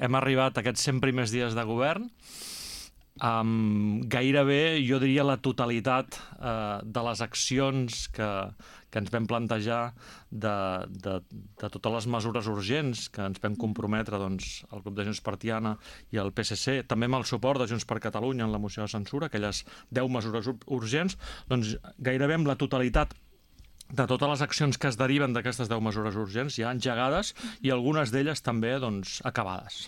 hem arribat a aquests 100 primers dies de govern amb gairebé, jo diria, la totalitat de les accions que ens vam plantejar, de totes les mesures urgents que ens vam comprometre el grup de Junts per Tiana i el PSC, també amb el suport de Junts per Catalunya en la moció de censura, aquelles 10 mesures urgents, doncs gairebé amb la totalitat de totes les accions que es deriven d'aquestes 10 mesures urgents ja engegades i algunes d'elles també acabades.